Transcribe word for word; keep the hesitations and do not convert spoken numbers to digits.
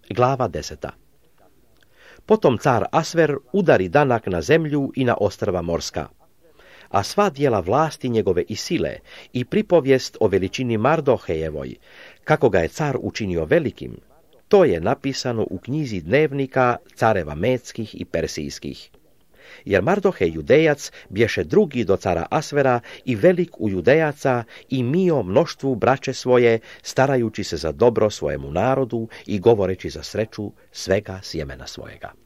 Glava deseta. Potom car Asver udari danak na zemlju i na ostrva morska. A sva dijela vlasti njegove i sile i pripovijest o veličini Mardohejevoj, kako ga je car učinio velikim, to je napisano u knjizi dnevnika careva Medskih i Persijskih. Jer Mardohej Judejac bješe drugi do cara Asvera i velik u Judejaca i mio mnoštvu braće svoje, starajući se za dobro svojemu narodu i govoreći za sreću svega sjemena svojega.